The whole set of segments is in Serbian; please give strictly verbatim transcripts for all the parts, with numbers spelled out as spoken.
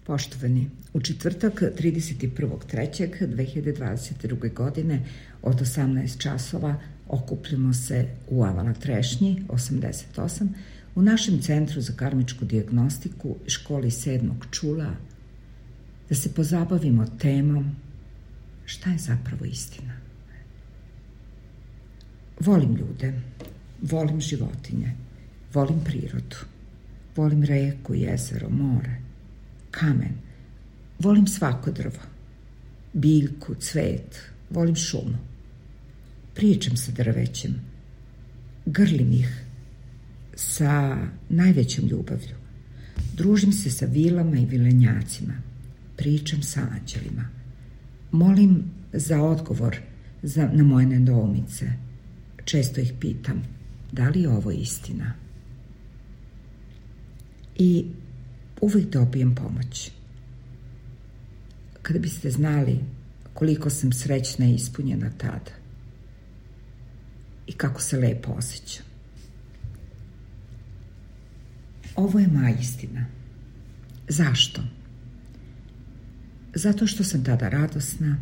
Poštovani, u četvrtak trideset prvog trećeg dve hiljade dvadeset druge. godine od osamnaest časova okupljamo se u Avala Trešnji osamdeset osam u našem centru za karmičku dijagnostiku i školi sedmog čula da se pozabavimo temom šta je zapravo istina. Volim ljude, volim životinje, volim prirodu, volim reku, jezero, more, kamen, volim svako drvo, biljku, cvet, volim šumu. Pričam sa drvećem, grlim ih sa najvećom ljubavlju, družim se sa vilama i vilenjacima, pričam sa anđelima, molim za odgovor za, na moje nedoumice. Često ih pitam, da li je ovo istina? I uvijek dobijem pomoć. Kada biste znali koliko sam srećna i ispunjena tada i kako se lepo osjećam. Ovo je moja istina. Zašto? Zato što sam tada radosna,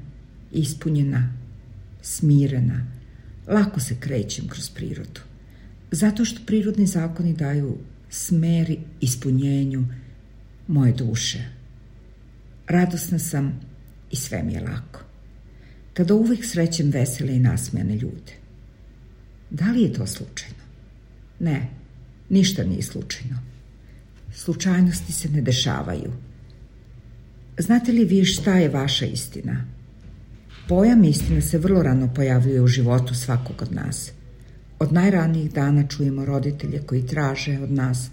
ispunjena, smirena, lako se krećem kroz prirodu. Zato što prirodni zakoni daju smer ispunjenju moje duše. Radosna sam i sve mi je lako. Tada uvijek srećem vesele i nasmejane ljude. Da li je to slučajno? Ne, ništa nije slučajno. Slučajnosti se ne dešavaju. Znate li vi šta je vaša istina? Pojam istina se vrlo rano pojavljuje u životu svakog od nas. Od najranijih dana čujemo roditelje koji traže od nas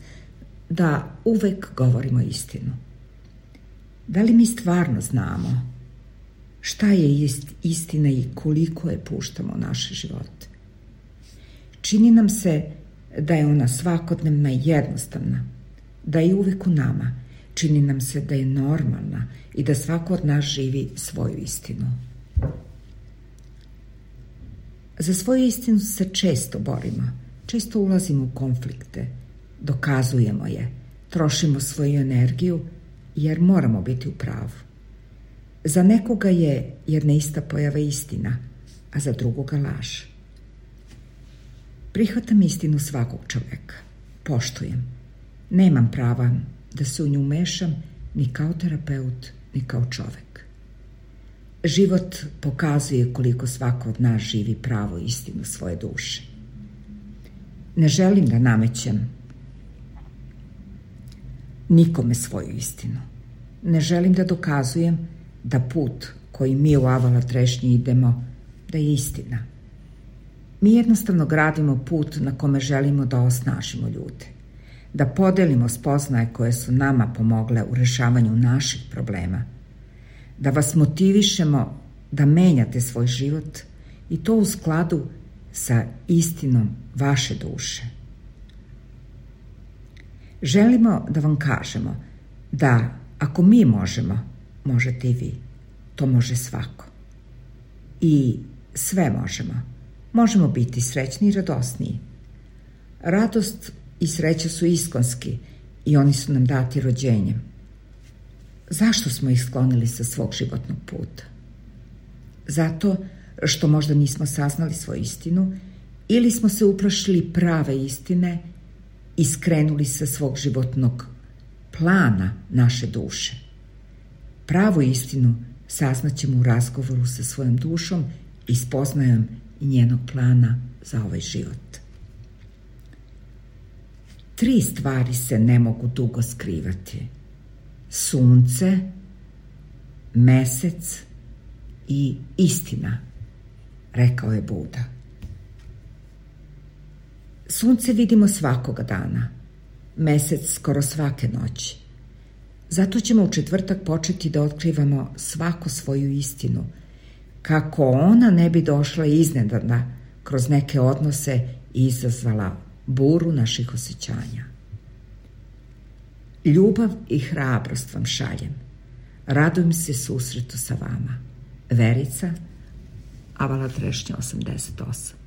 da uvek govorimo istinu. Da li mi stvarno znamo šta je istina i koliko je puštamo u naše živote? Čini nam se da je ona svakodnevna i jednostavna, da je uvek u nama. Čini nam se da je normalna i da svako od nas živi svoju istinu. Za svoju istinu se često borimo, često ulazimo u konflikte, dokazujemo je, trošimo svoju energiju jer moramo biti u pravu. Za nekoga je jedna ista pojava istina, a za drugoga laž. Prihvatam istinu svakog čoveka, poštujem. Nemam prava da se u nju mešam ni kao terapeut, ni kao čovek. Život pokazuje koliko svako od nas živi pravo istinu svoje duše. Ne želim da namećem nikome svoju istinu. Ne želim da dokazujem da put koji mi u Avala Trešnji idemo da je istina. Mi jednostavno gradimo put na kome želimo da osnažimo ljude, da podelimo spoznaje koje su nama pomogle u rešavanju naših problema, da vas motivišemo da menjate svoj život i to u skladu sa istinom vaše duše. Želimo da vam kažemo da ako mi možemo, možete i vi. To može svako. I sve možemo. Možemo biti srećni i radosniji. Radost i sreća su iskonski i oni su nam dati rođenjem. Zašto smo ih sklonili sa svog životnog puta? Zato što možda nismo saznali svoju istinu ili smo se uplašili prave istine i skrenuli sa svog životnog plana naše duše. Pravu istinu saznaćemo u razgovoru sa svojom dušom i spoznajom njenog plana za ovaj život. Tri stvari se ne mogu dugo skrivati. Sunce, mesec i istina, rekao je Buda. Sunce vidimo svakoga dana, mesec skoro svake noći. Zato ćemo u četvrtak početi da otkrivamo svaku svoju istinu, kako ona ne bi došla iznenadna kroz neke odnose i izazvala buru naših osjećanja. Ljubav i hrabrost vam šaljem. Radujem se susretu sa vama. Verica, Avala Trešnja osamdeset osam.